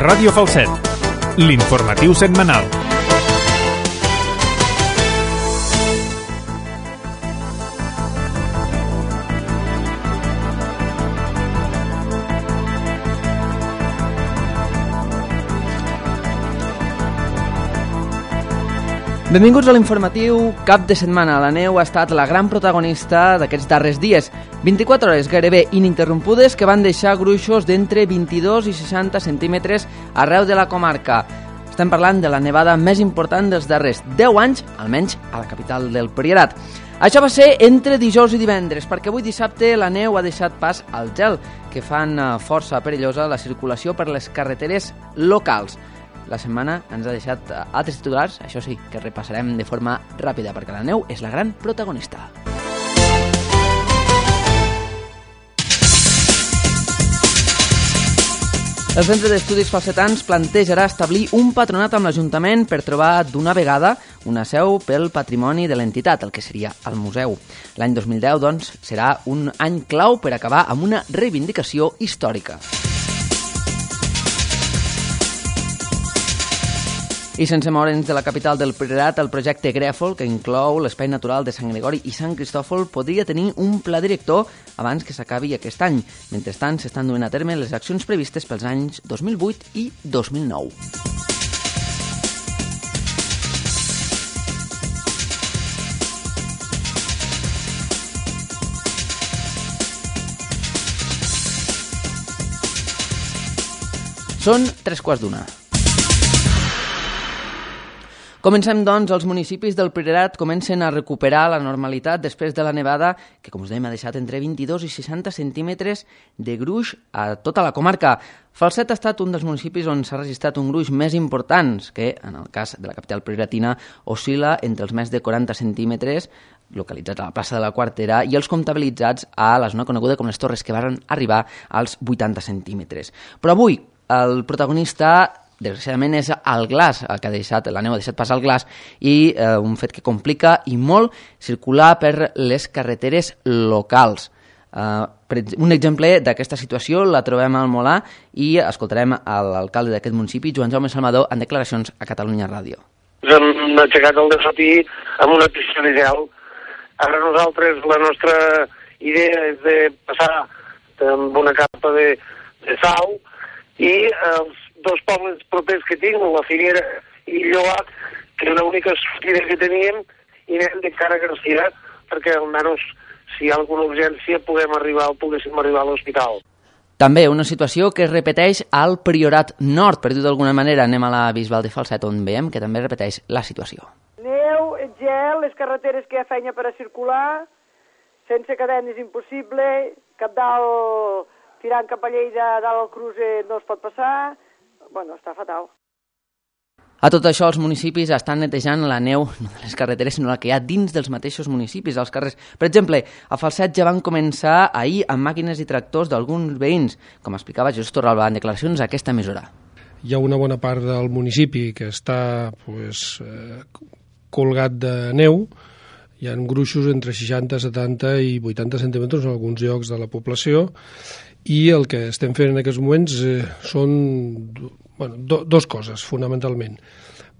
Ràdio Falset, l'informatiu setmanal. Benvinguts a l'informatiu cap de setmana. La neu ha estat la gran protagonista d'aquests darrers dies. 24 hores gairebé ininterrompudes que van deixar gruixos d'entre 22 i 60 centímetres arreu de la comarca. Estem parlant de la nevada més important dels darrers 10 anys, almenys a la capital del Priorat. Això va ser entre dijous i divendres, perquè avui dissabte la neu ha deixat pas al gel, que fan força perillosa la circulació per les carreteres locals. La setmana ens ha deixat altres titulars, això sí, que repassarem de forma ràpida, perquè la neu és la gran protagonista. El Centre d'Estudis Falsetans plantejarà establir un patronat amb l'Ajuntament per trobar d'una vegada una seu pel patrimoni de l'entitat, el que seria el museu. L'any 2010, doncs, serà un any clau per acabar amb una reivindicació històrica. I sense moure'ns de la capital del Priorat, el projecte Grèfol, que inclou l'espai natural de Sant Gregori i Sant Cristòfol, podria tenir un pla director abans que s'acabi aquest any. Mentrestant, s'estan duent a terme les accions previstes pels anys 2008 i 2009. Són 3:15. Comencem, doncs, els municipis del Priorat comencen a recuperar la normalitat després de la nevada que, com us dèiem, ha deixat entre 22 i 60 centímetres de gruix a tota la comarca. Falset ha estat un dels municipis on s'ha registrat un gruix més important, que, en el cas de la capital prioratina, oscil·la entre els més de 40 centímetres, localitzats a la plaça de la Quartera, i els comptabilitzats a la zona coneguda com les Torres, que van arribar als 80 centímetres. Però avui, el protagonista desgraciadament és el glaç, el que la neu ha deixat passar el glaç, i un fet que complica i molt circular per les carreteres locals. Un exemple d'aquesta situació la trobem al Molà i escoltarem l'alcalde d'aquest municipi, Joan Jaume Salmador, en declaracions a Catalunya Ràdio. Ens hem aixecat al dematí amb una pista de gel. Ara nosaltres, la nostra idea és de passar amb una capa de sal i els dos pobles propers que tinc, la Figuera i Lloat, que era l'única sortida que teníem, i anem de cara a Garcia, perquè almenys si hi ha alguna urgència poguéssim arribar a l'hospital. També una situació que es repeteix al Priorat Nord, per dir d'alguna manera. Anem a la Bisbal de Falset, on veiem que també repeteix la situació. Neu, gel, les carreteres que hi ha feina per a circular, sense cadenes impossible, cap dalt tirant cap a Lleida, dalt al cruce no es pot passar. Bueno, està fatal. A tot això, els municipis estan netejant la neu, no de les carreteres, sinó la que hi ha dins dels mateixos municipis, als carrers. Per exemple, a Falset ja van començar ahir amb màquines i tractors d'alguns veïns, com explicava Jesús Torralba en declaracions a aquesta emissora. Hi ha una bona part del municipi que està colgat de neu. Hi ha gruixos entre 60, 70 i 80 centímetres en alguns llocs de la població, i el que estem fent en aquests moments són dues coses, fonamentalment.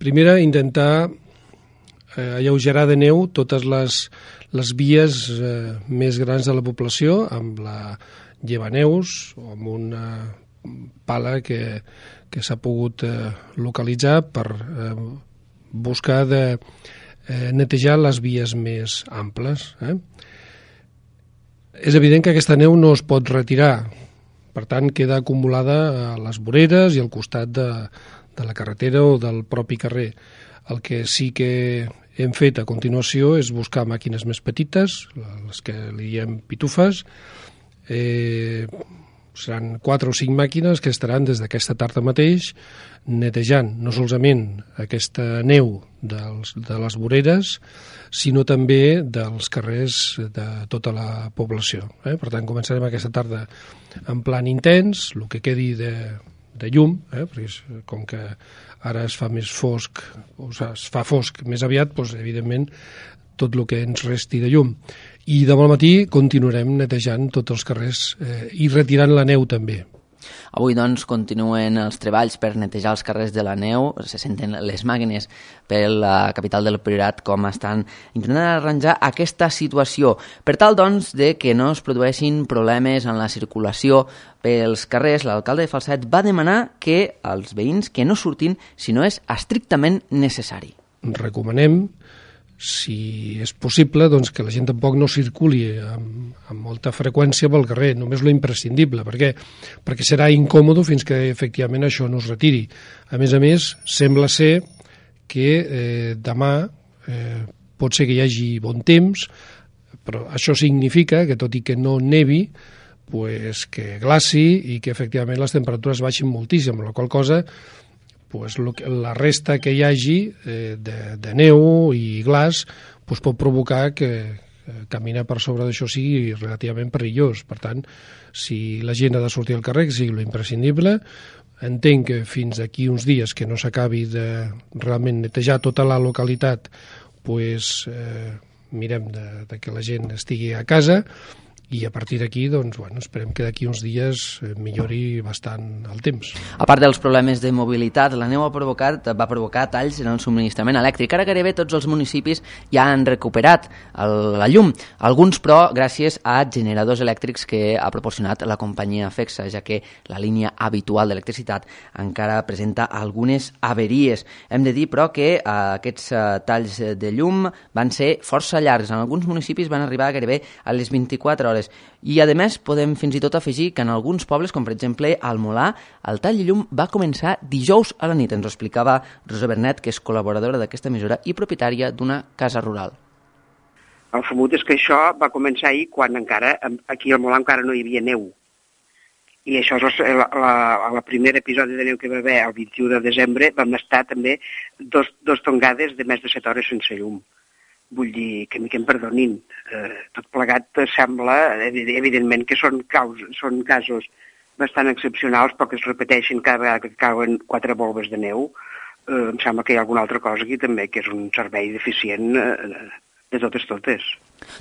Primera, intentar alleugerar de neu totes les vies més grans de la població, amb la llevaneus o amb una pala que s'ha pogut localitzar per buscar de netejar les vies més amples. És evident que aquesta neu no es pot retirar, per tant queda acumulada a les voreres i al costat de la carretera o del propi carrer. El que sí que hem fet a continuació és buscar màquines més petites, les que li diem pitufes. Seran 4 o 5 màquines que estaran des d'aquesta tarda mateix netejant no solament aquesta neu de les voreres, sinó també dels carrers de tota la població. Per tant, començarem aquesta tarda en plan intens, el que quedi de llum, perquè com que ara es fa més fosc, o es fa fosc més aviat, doncs, evidentment, tot el que ens resti de llum. I demà al matí continuarem netejant tots els carrers i retirant la neu també. Avui, doncs, continuen els treballs per netejar els carrers de la neu. Se senten les màquines per la capital del Priorat com estan intentant arranjar aquesta situació. Per tal, doncs, de que no es produeixin problemes en la circulació pels carrers, l'alcalde de Falset va demanar que els veïns que no surtin si no és estrictament necessari. Recomanem, si és possible, doncs que la gent tampoc no circuli amb molta freqüència pel carrer, només lo imprescindible. Per què? Perquè serà incòmode fins que efectivament això no es retiri. A més, sembla ser que demà pot ser que hi hagi bon temps, però això significa que tot i que no nevi, pues, que glaci i que efectivament les temperatures baixin moltíssim, amb la qual cosa pues, la resta que hi hagi de neu i glaç pues, pot provocar que caminar per sobre d'això sigui relativament perillós. Per tant, si la gent ha de sortir al carrer, que sigui lo imprescindible, entenc que fins d'aquí uns dies que no s'acabi de realment netejar tota la localitat, pues, mirem de que la gent estigui a casa, i a partir d'aquí, doncs, bueno, esperem que d'aquí uns dies millori bastant el temps. A part dels problemes de mobilitat, la neu va provocar talls en el subministrament elèctric. Ara gairebé tots els municipis ja han recuperat la llum. Alguns, però, gràcies a generadors elèctrics que ha proporcionat la companyia FEXA, ja que la línia habitual d'electricitat encara presenta algunes averies. Hem de dir, però, que aquests talls de llum van ser força llargs. En alguns municipis van arribar gairebé a les 24 hores. I, a més, podem fins i tot afegir que en alguns pobles, com per exemple al Molà, el tall de llum va començar dijous a la nit. Ens ho explicava Rosa Bernet, que és col·laboradora d'aquesta emissora i propietària d'una casa rural. El famut és que això va començar ahir quan encara, aquí al Molà encara no hi havia neu. I això és el primer episodi de neu que va haver el 21 de desembre, vam estar també dos tongades de més de 7 hores sense llum. Vull dir que em perdonin. Tot plegat sembla, evidentment, que són casos bastant excepcionals, però que es repeteixin cada vegada que cauen 4 volves de neu. Em sembla que hi ha alguna altra cosa aquí també, que és un servei deficient de totes.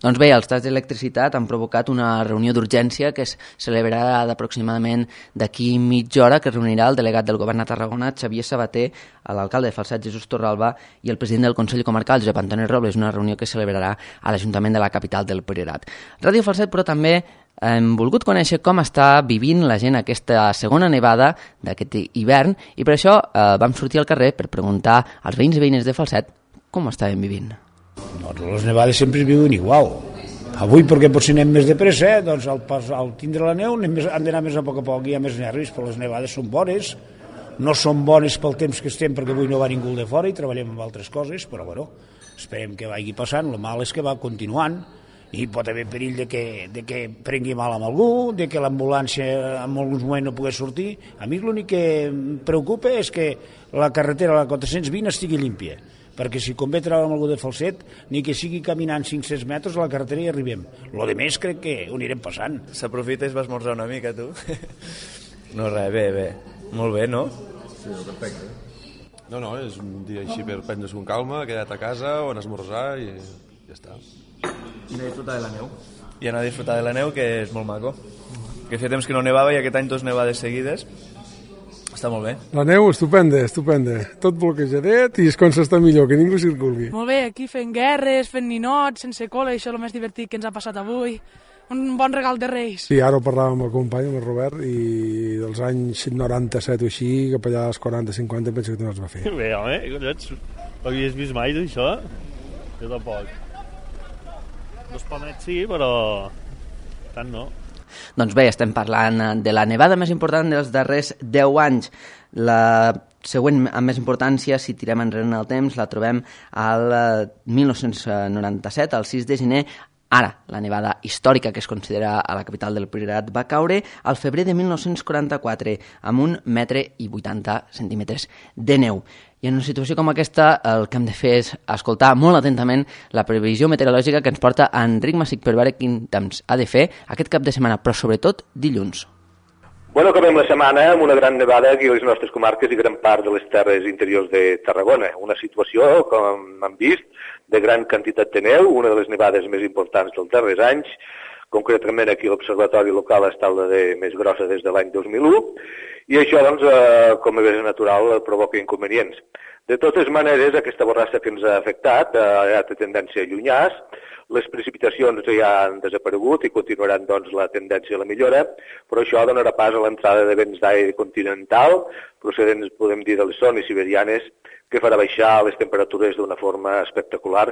Doncs bé, els talls d'electricitat han provocat una reunió d'urgència que es celebrarà d'aproximadament d'aquí mitja hora, que reunirà el delegat del govern a Tarragona, Xavier Sabater, l'alcalde de Falset, Jesús Torralba, i el president del Consell Comarcal, Josep Antoni Robles, una reunió que es celebrarà a l'Ajuntament de la capital del Priorat. Ràdio Falset, però també hem volgut conèixer com està vivint la gent aquesta segona nevada d'aquest hivern, i per això vam sortir al carrer per preguntar als veïns i veïnes de Falset com estaven vivint. Doncs les nevades sempre es viuen igual. Avui, perquè potser anem més de pressa, doncs al tindre la neu han d'anar més a poc, hi ha més nervis, però les nevades són bones, no són bones pel temps que estem, perquè avui no va ningú de fora i treballem amb altres coses, però bueno, esperem que vagi passant. El mal és que va continuant i pot haver perill de que prengui mal amb algú, de que l'ambulància en alguns moments no pogués sortir. A mi l'únic que em preocupa és que la carretera, la 420, estigui límpia, perquè si convé treure amb algú de Falset, ni que sigui caminant 500 metres a la carretera i arribem. Lo de més crec que ho anirem passant. S'aprofita i vas esmorzar una mica, tu? No, res, bé. Molt bé, no? Sí, perfecte. No, és un dia així per prendre-se con calma, queda't a casa o anar a esmorzar i ja està. I anar a disfrutar de la neu. I anar a disfrutar de la neu, que és molt maco. Que feia temps que no nevava i aquest any 2 nevades seguides. Està molt bé. La neu, estupenda. Tot bloquejadet i és com s'està millor, que ningú circuli. Molt bé, aquí fent guerres, fent ninots, sense cola, això és el més divertit que ens ha passat avui. Un bon regal de Reis. Sí, ara ho parlàvem amb el company, amb el Robert, i dels anys 97 o així, cap allà als 40-50, penso que no es va fer. Bé, home, collons, ho havies vist mai, d'això? Jo tampoc. 2 palmets sí, però tant no. Doncs bé, estem parlant de la nevada més important dels darrers 10 anys. La següent amb més importància, si tirem enrere en el temps, la trobem al 1997, el 6 de gener. Ara, la nevada històrica que es considera a la capital del Priorat va caure al febrer de 1944 amb 1,80 m de neu. I en una situació com aquesta el que hem de fer és escoltar molt atentament la previsió meteorològica que ens porta Enric Massic per veure quin temps ha de fer aquest cap de setmana, però sobretot dilluns. Bueno, acabem la setmana amb una gran nevada aquí a les nostres comarques i gran part de les terres interiors de Tarragona. Una situació, com hem vist, de gran quantitat de neu, una de les nevades més importants dels darrers anys, concretament aquí l'observatori local està la més grossa des de l'any 2001, i això, doncs, com és natural, provoca inconvenients. De totes maneres, aquesta borrassa que ens ha afectat ja té tendència a allunyar, les precipitacions ja han desaparegut i continuaran, doncs, la tendència a la millora, però això donarà pas a l'entrada de vents d'aire continental, procedents, podem dir, de les zones siberianes, que farà baixar les temperatures d'una forma espectacular,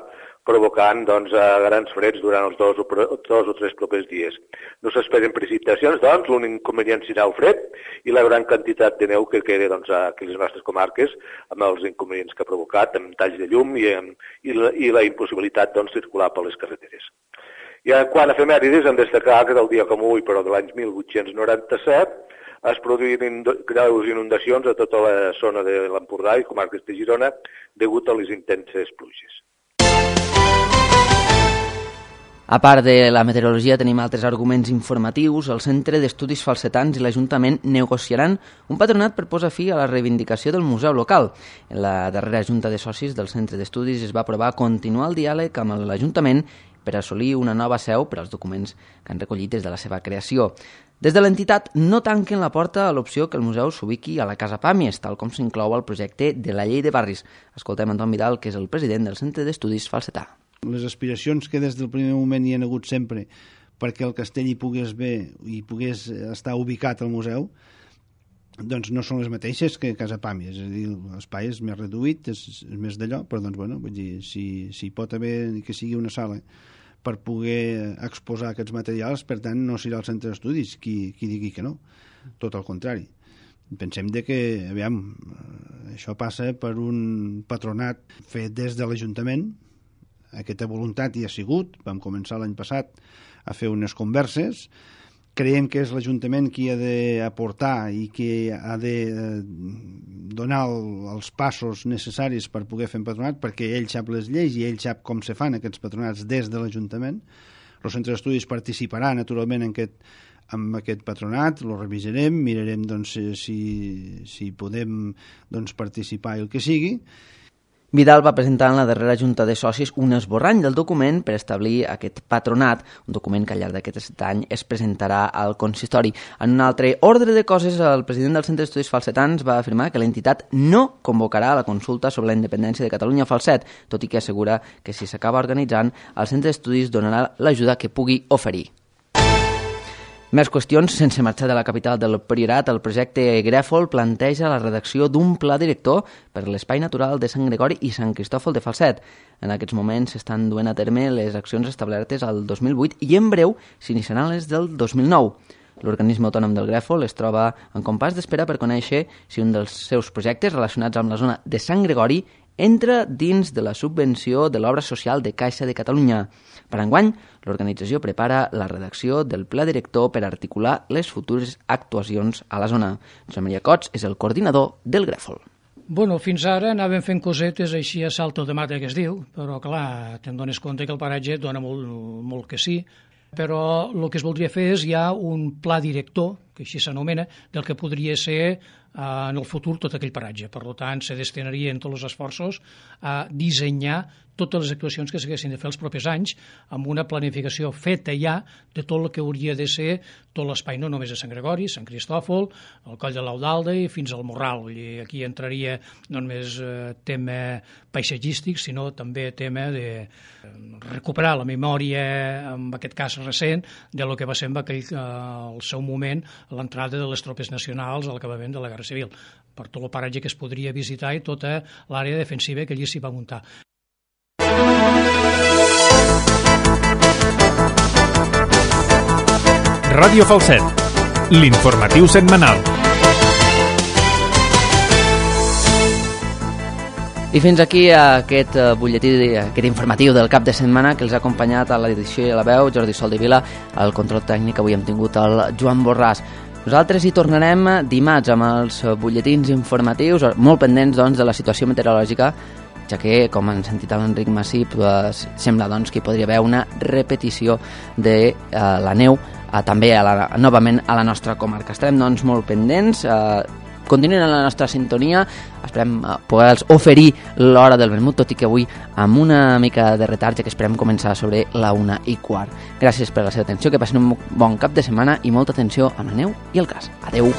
provocant, doncs, grans freds durant els dos o tres propers dies. No s'esperen precipitacions, doncs, l'únic inconvenient serà el fred i la gran quantitat de neu que queda, doncs, aquí a les nostres comarques, amb els inconvenients que ha provocat, amb talls de llum i la impossibilitat, doncs, circular per les carreteres. I quant a efemèrides, hem de destacar que del dia com avui, però de l'any 1897, es produïren greus inundacions a tota la zona de l'Empordà i comarques de Girona degut a les intenses pluges. A part de la meteorologia, tenim altres arguments informatius. El Centre d'Estudis Falsetans i l'Ajuntament negociaran un patronat per posar fi a la reivindicació del museu local. En la darrera junta de socis del Centre d'Estudis es va aprovar continuar el diàleg amb l'Ajuntament per assolir una nova seu per als documents que han recollit des de la seva creació. Des de l'entitat no tanquen la porta a l'opció que el museu s'ubiqui a la Casa Pàmies, tal com s'inclou al projecte de la Llei de Barris. Escoltem Anton Vidal, que és el president del Centre d'Estudis Falsetà. Les aspiracions que des del primer moment hi han hagut sempre perquè el castell hi pogués bé i pogués estar ubicat al museu, doncs no són les mateixes que Casa Pàmies. És a dir, l'espai és més reduït, és més d'allò, però doncs, bueno, vull dir, si pot haver que sigui una sala per poder exposar aquests materials, per tant, no serà el centre d'estudis qui digui que no. Tot al contrari. Pensem que, aviam, això passa per un patronat fet des de l'Ajuntament. Aquesta voluntat hi ha sigut. Vam començar l'any passat a fer unes converses. Creiem que és l'Ajuntament qui ha d'aportar i qui ha de donar els passos necessaris per poder fer un patronat, perquè ell sap les lleis i ell sap com se fan aquests patronats des de l'Ajuntament. El Centre d'Estudis participarà naturalment en aquest patronat, lo revisarem, mirarem doncs, si podem participar i el que sigui. Vidal va presentar en la darrera junta de socis un esborrany del document per establir aquest patronat, un document que al llarg d'aquest any es presentarà al consistori. En un altre ordre de coses, el president del Centre d'Estudis Falsetans va afirmar que l'entitat no convocarà la consulta sobre la independència de Catalunya Falset, tot i que assegura que si s'acaba organitzant, el Centre d'Estudis donarà l'ajuda que pugui oferir. Més qüestions. Sense marxar de la capital del Priorat, el projecte Grèfol planteja la redacció d'un pla director per l'espai natural de Sant Gregori i Sant Cristòfol de Falset. En aquests moments s'estan duent a terme les accions establertes al 2008 i en breu s'iniciaran les del 2009. L'organisme autònom del Grèfol es troba en compàs d'espera per conèixer si un dels seus projectes relacionats amb la zona de Sant Gregori entra dins de la subvenció de l'obra social de Caixa de Catalunya. Per enguany, l'organització prepara la redacció del pla director per articular les futures actuacions a la zona. Josep Maria Cots és el coordinador del Grèfol. Bueno, fins ara anàvem fent cosetes així a salto de mata que es diu, però clar, te'n dones compte que el paratge dona molt que sí, però el que es voldria fer és ja un pla director, que així s'anomena, del que podria ser en el futur tot aquell paratge. Per tant, se destinarien tots els esforços a dissenyar totes les actuacions que s'haguessin de fer els propers anys amb una planificació feta ja de tot el que hauria de ser tot l'espai, no només de Sant Gregori, Sant Cristòfol, el Coll de l'Audalda i fins al Morral. I aquí entraria no només tema paisatgístic, sinó també tema de recuperar la memòria, en aquest cas recent, de lo que va ser al seu moment l'entrada de les tropes nacionals al acabament de la Guerra Civil, per tot el paratge que es podria visitar i tota l'àrea defensiva que allí s'hi va muntar. Ràdio Falset, l'informatiu setmanal. I fins aquí aquest butlletí, aquest informatiu del cap de setmana que els ha acompanyat a l'edició i a la veu Jordi Soldevila. Al control tècnic avui hem tingut el Joan Borràs. Nosaltres hi tornarem dimarts amb els butlletins informatius, molt pendents doncs, de la situació meteorològica, ja que, com han sentit a l'Enric Massip, sembla doncs, que hi podria haver una repetició de la neu també novament a la nostra comarca. Estarem doncs, molt pendents. continuïn en la nostra sintonia, esperem poder-los oferir l'hora del vermut, tot i que avui amb una mica de retard, ja que esperem començar sobre la 1:15. Gràcies per la seva atenció, que passin un bon cap de setmana i molta atenció a la neu i el cas. Adeu!